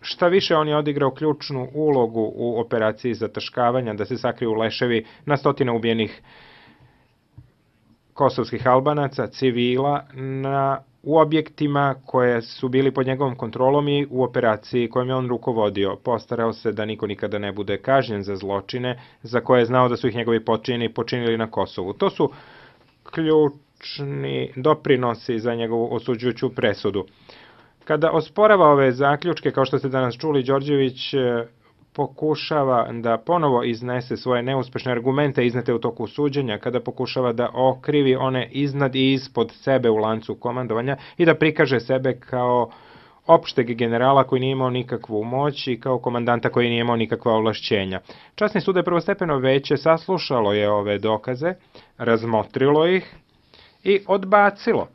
Šta više, on je odigrao ključnu ulogu u operaciji zataškavanja, da se sakriju leševi na stotine ubijenih kosovskih Albanaca, civila, u objektima koje su bili pod njegovom kontrolom i u operaciji kojom je on rukovodio. Postarao se da niko nikada ne bude kažnjen za zločine za koje je znao da su ih njegovi počinjeni počinili na Kosovu. To su ključni doprinosi za njegovu osuđujuću presudu. Kada osporava ove zaključke, kao što ste danas čuli, Đorđević pokušava da ponovo iznese svoje neuspešne argumente iznete u toku suđenja, kada pokušava da okrivi one iznad i ispod sebe u lancu komandovanja i da prikaže sebe kao opšteg generala koji nije imao nikakvu moć i kao komandanta koji nije imao nikakva ovlašćenja. Časni sud je prvostepeno veće saslušalo je ove dokaze, razmotrilo ih i odbacilo.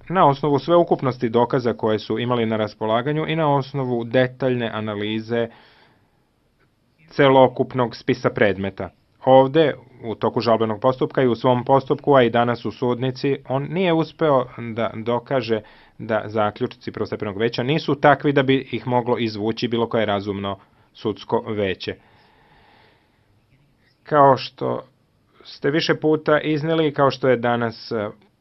Na osnovu sveukupnosti dokaza koje su imali na raspolaganju i na osnovu detaljne analize celokupnog spisa predmeta. Ovde, u toku žalbenog postupka i u svom postupku, a i danas u sudnici, on nije uspeo da dokaže da zaključci prvostepenog veća nisu takvi da bi ih moglo izvući bilo koje razumno sudsko veće. Kao što ste više puta izneli, kao što je danas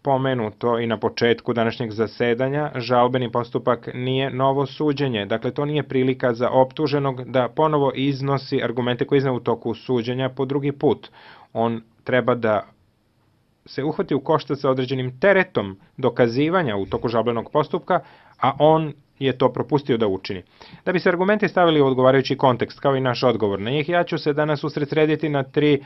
pomenuto i na početku današnjeg zasedanja, žalbeni postupak nije novo suđenje. Dakle, to nije prilika za optuženog da ponovo iznosi argumente koje izneo u toku suđenja po drugi put. On treba da se uhvati u koštac sa određenim teretom dokazivanja u toku žalbenog postupka, a on je to propustio da učini. Da bi se argumenti stavili u odgovarajući kontekst, kao i naš odgovor na njih, ja ću se danas usredsrediti na 3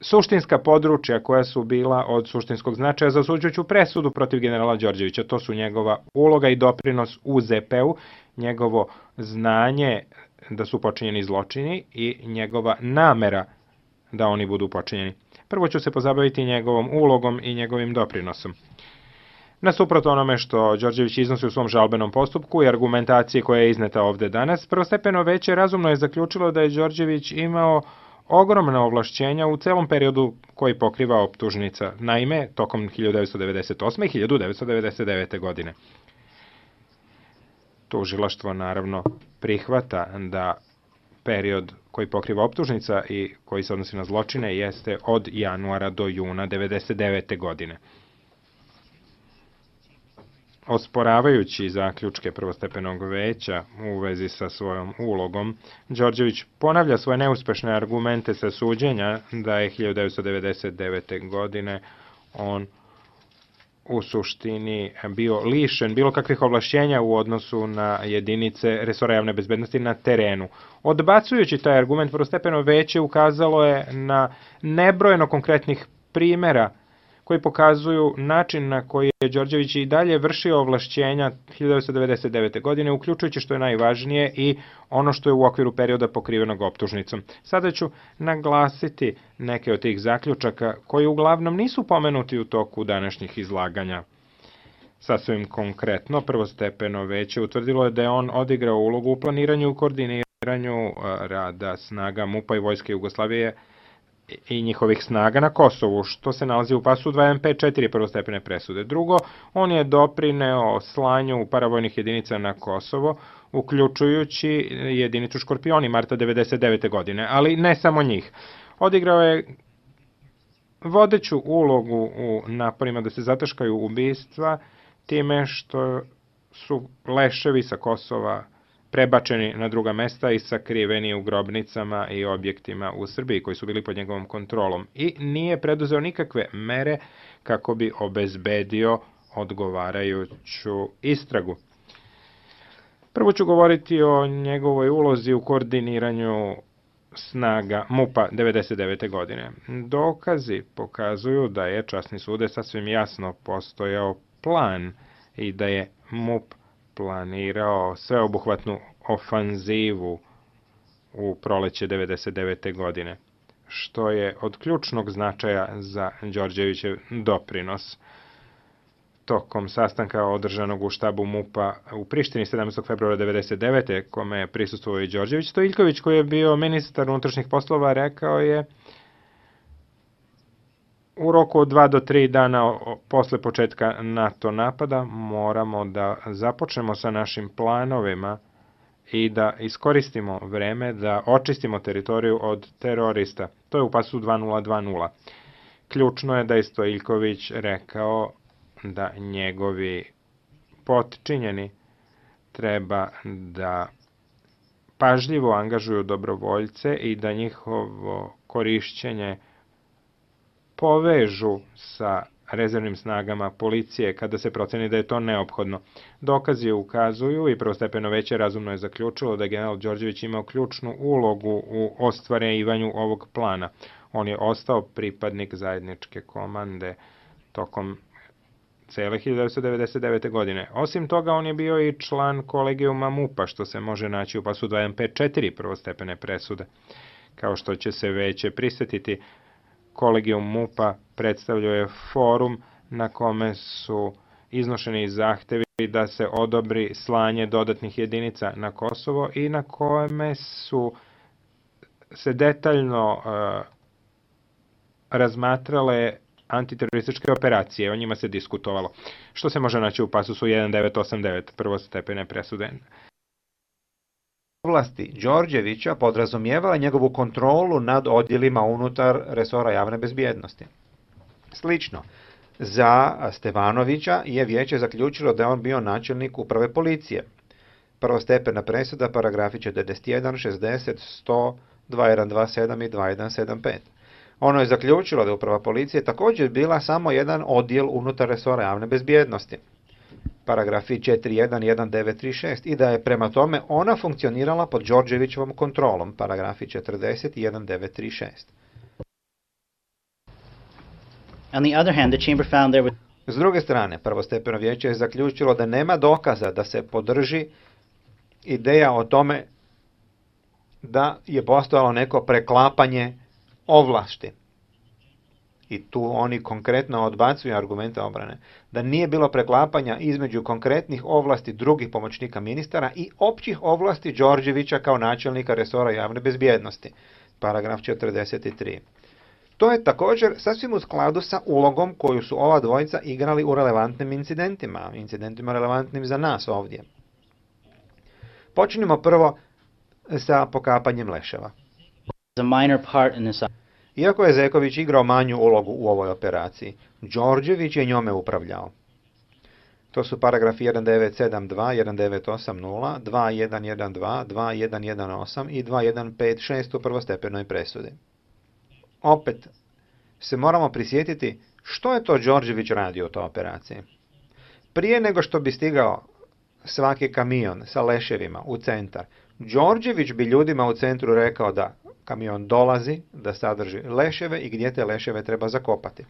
suštinska područja koja su bila od suštinskog značaja za osuđujuću presudu protiv generala Đorđevića. To su njegova uloga i doprinos u ZP-u, njegovo znanje da su počinjeni zločini i njegova namera da oni budu počinjeni. Prvo ću se pozabaviti njegovom ulogom i njegovim doprinosom. Nasuprot onome što Đorđević iznosi u svom žalbenom postupku i argumentacije koja je izneta ovde danas, prvostepeno veće razumno je zaključilo da je Đorđević imao ogromna ovlašćenja u celom periodu koji pokriva optužnica, naime, tokom 1998. i 1999. godine. Tužilaštvo naravno prihvata da period koji pokriva optužnica i koji se odnosi na zločine jeste od januara do juna 1999. godine. Osporavajući zaključke prvostepenog veća u vezi sa svojom ulogom, Đorđević ponavlja svoje neuspešne argumente sa suđenja da je 1999. godine on u suštini bio lišen bilo kakvih ovlašćenja u odnosu na jedinice resora javne bezbednosti na terenu. Odbacujući taj argument, prvostepeno veće ukazalo je na nebrojeno konkretnih primera koji pokazuju način na koji je Đorđević i dalje vršio ovlašćenja 1999. godine, uključujući što je najvažnije i ono što je u okviru perioda pokrivenog optužnicom. Sada ću naglasiti neke od tih zaključaka koji uglavnom nisu pomenuti u toku današnjih izlaganja. Sasvim konkretno, prvostepeno veće utvrdilo je da je on odigrao ulogu u planiranju i koordiniranju rada snaga MUP-a i Vojske Jugoslavije i njihovih snaga na Kosovu, što se nalazi u pasu 2MP4 prvostepene presude. Drugo, on je doprineo slanju paravojnih jedinica na Kosovo, uključujući jedinicu Škorpioni marta 1999. godine, ali ne samo njih. Odigrao je vodeću ulogu u naporima da se zataškaju ubistva time što su leševi sa Kosova prebačeni na druga mesta i sakriveni u grobnicama i objektima u Srbiji koji su bili pod njegovom kontrolom i nije preduzeo nikakve mere kako bi obezbedio odgovarajuću istragu. Prvo ću govoriti o njegovoj ulozi u koordiniranju snaga MUP-a 1999. godine. Dokazi pokazuju da je časni sude sasvim jasno postojao plan i da je MUP planirao sveobuhvatnu ofanzivu u proleće 1999. godine, što je od ključnog značaja za Đorđevićev doprinos. Tokom sastanka održanog u štabu MUP-a u Prištini 17. februara 1999. kome je prisustvovao i Đorđević, Stojiljković, koji je bio ministar unutrašnjih poslova, rekao je u roku od 2 do 3 dana posle početka NATO napada moramo da započnemo sa našim planovima i da iskoristimo vreme da očistimo teritoriju od terorista. To je u pasu 2020. Ključno je da je Stojiljković rekao da njegovi potčinjeni treba da pažljivo angažuju dobrovoljce i da njihovo korišćenje povežu sa rezervnim snagama policije kada se proceni da je to neophodno. Dokazi ukazuju i prvostepeno veće razumno je zaključilo da je general Đorđević imao ključnu ulogu u ostvarivanju ovog plana. On je ostao pripadnik zajedničke komande tokom cele 1999. godine. Osim toga, on je bio i član kolegijuma MUP-a, što se može naći u pasu 2154 prvostepene presude. Kao što će se veće prisetiti, kolegijum MUP-a predstavljao je forum na kome su iznošeni zahtevi da se odobri slanje dodatnih jedinica na Kosovo i na kome su se detaljno razmatrale antiterorističke operacije, o njima se diskutovalo. Što se može naći u pasusu 1989 prvostepene presude? Ovlasti Đorđevića podrazumijevala njegovu kontrolu nad odjelima unutar resora javne bezbjednosti. Slično, za Stevanovića je vijeće zaključilo da je on bio načelnik uprave policije. Prvostepena presuda, paragrafi 41, 60, 100, 2127 i 2175. Ono je zaključilo da je uprava policije također bila samo jedan odjel unutar resora javne bezbjednosti. Paragrafi 411936 i da je prema tome ona funkcionirala pod Đorđevićevom kontrolom. Paragrafi 401936. On the other hand, the chamber found there was... S druge strane, prvostepeno vijeće je zaključilo da nema dokaza da se podrži ideja o tome da je postojalo neko preklapanje ovlasti. I tu oni konkretno odbacuju argumente obrane, da nije bilo preklapanja između konkretnih ovlasti drugih pomoćnika ministara i općih ovlasti Đorđevića kao načelnika resora javne bezbjednosti. Paragraf 43. To je također sasvim u skladu sa ulogom koju su ova dvojica igrali u relevantnim incidentima relevantnim za nas ovdje. Počinimo prvo sa pokapanjem leševa. Iako je Zeković igrao manju ulogu u ovoj operaciji, Đorđević je njome upravljao. To su paragrafi 1972, 1980, 2112, 2118 i 2156 u prvostepenoj presudi. Opet se moramo prisjetiti što je to Đorđević radio u toj operaciji. Prije nego što bi stigao svaki kamion sa leševima u centar, Đorđević bi ljudima u centru rekao da kamion dolazi, da sadrži leševe i gdje te leševe treba zakopati.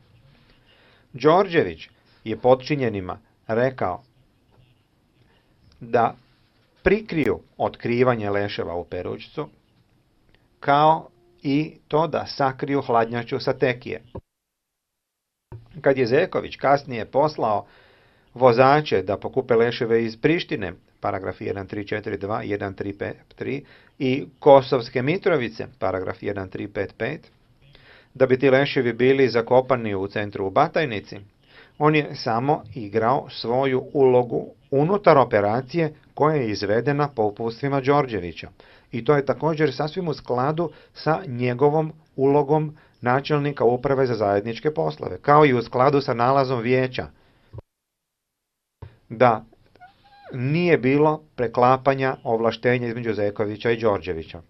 Đorđević je potčinjenima rekao da prikriju otkrivanje leševa u Perućcu, kao i to da sakriju hladnjaču sa Tekije. Kad je Zeković kasnije poslao vozače da pokupe leševe iz Prištine, paragraf 1342, 1353 i Kosovske Mitrovice, paragraf 1355, da bi ti leševi bili zakopani u centru u Batajnici, on je samo igrao svoju ulogu unutar operacije koja je izvedena po uputstvima Đorđevića. I to je također sasvim u skladu sa njegovom ulogom načelnika uprave za zajedničke poslove, kao i u skladu sa nalazom vijeća da nije bilo preklapanja ovlaštenja između Zekovića i Đorđevića.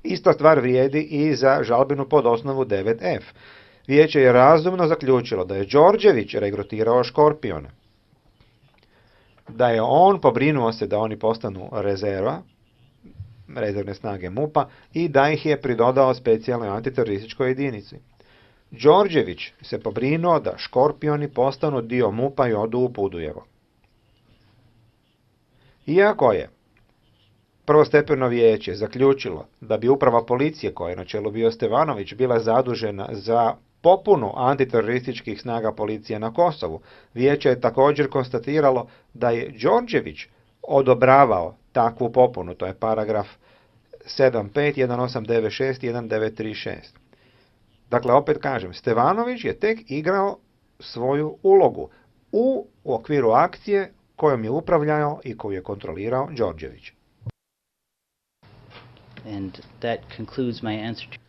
Ista stvar vrijedi i za žalbenu pod osnovu 9F. Vijeće je razumno zaključilo da je Đorđević regrutirao Škorpione, da je on pobrinuo se da oni postanu rezervne snage MUP-a i da ih je pridodao specijalnoj antiterorističkoj jedinici. Đorđević se pobrinuo da Škorpioni postanu dio MUP-a i odu u Budujevo. Iako je prvostepeno vijeće zaključilo da bi uprava policije, koja je na čelu bio Stevanović, bila zadužena za popunu antiterorističkih snaga policije na Kosovu, vijeće je također konstatiralo da je Đorđević odobravao takvu popunu, to je paragraf 75, 1896 i 1936. Dakle, opet kažem, Stevanović je tek igrao svoju ulogu u okviru akcije kojom je upravljao i koju je kontrolirao Đorđević. And that concludes my answer to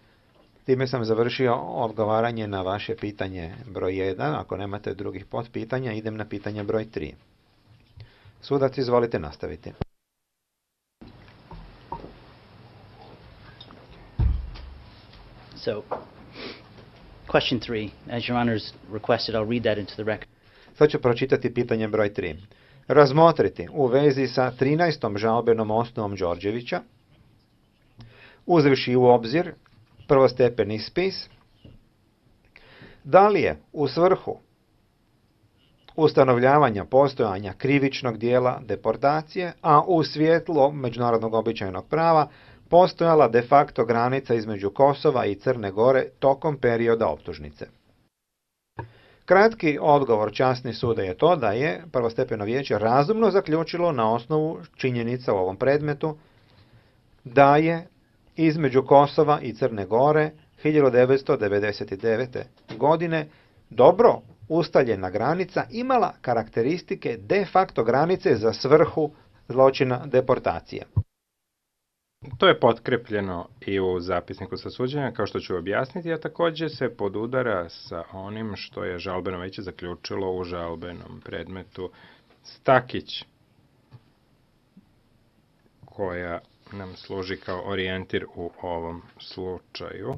Time sam završio odgovaranje na vaše pitanje broj 1. Ako nemate drugih potpitanja, idem na pitanje broj 3. Sudac, izvolite nastaviti. So, question 3, as Your Honor's requested, I'll read that into the record. Sad ću pročitati pitanje broj 3. Razmotriti u vezi sa 13. žalbenom osnovom Đorđevića, uzevši u obzir prvostepeni spis, da li je u svrhu ustanovljavanja postojanja krivičnog dijela deportacije, a u svjetlu međunarodnog običajnog prava postojala de facto granica između Kosova i Crne Gore tokom perioda optužnice. Kratki odgovor časni suda je to da je prvostepeno vijeće razumno zaključilo na osnovu činjenica u ovom predmetu da je između Kosova i Crne Gore 1999. godine dobro ustaljena granica imala karakteristike de facto granice za svrhu zločina deportacije. To je potkrepljeno i u zapisniku sa suđenja, kao što ću objasniti, a također se podudara sa onim što je žalbeno veće zaključilo u žalbenom predmetu Stakić, koja nam služi kao orijentir u ovom slučaju.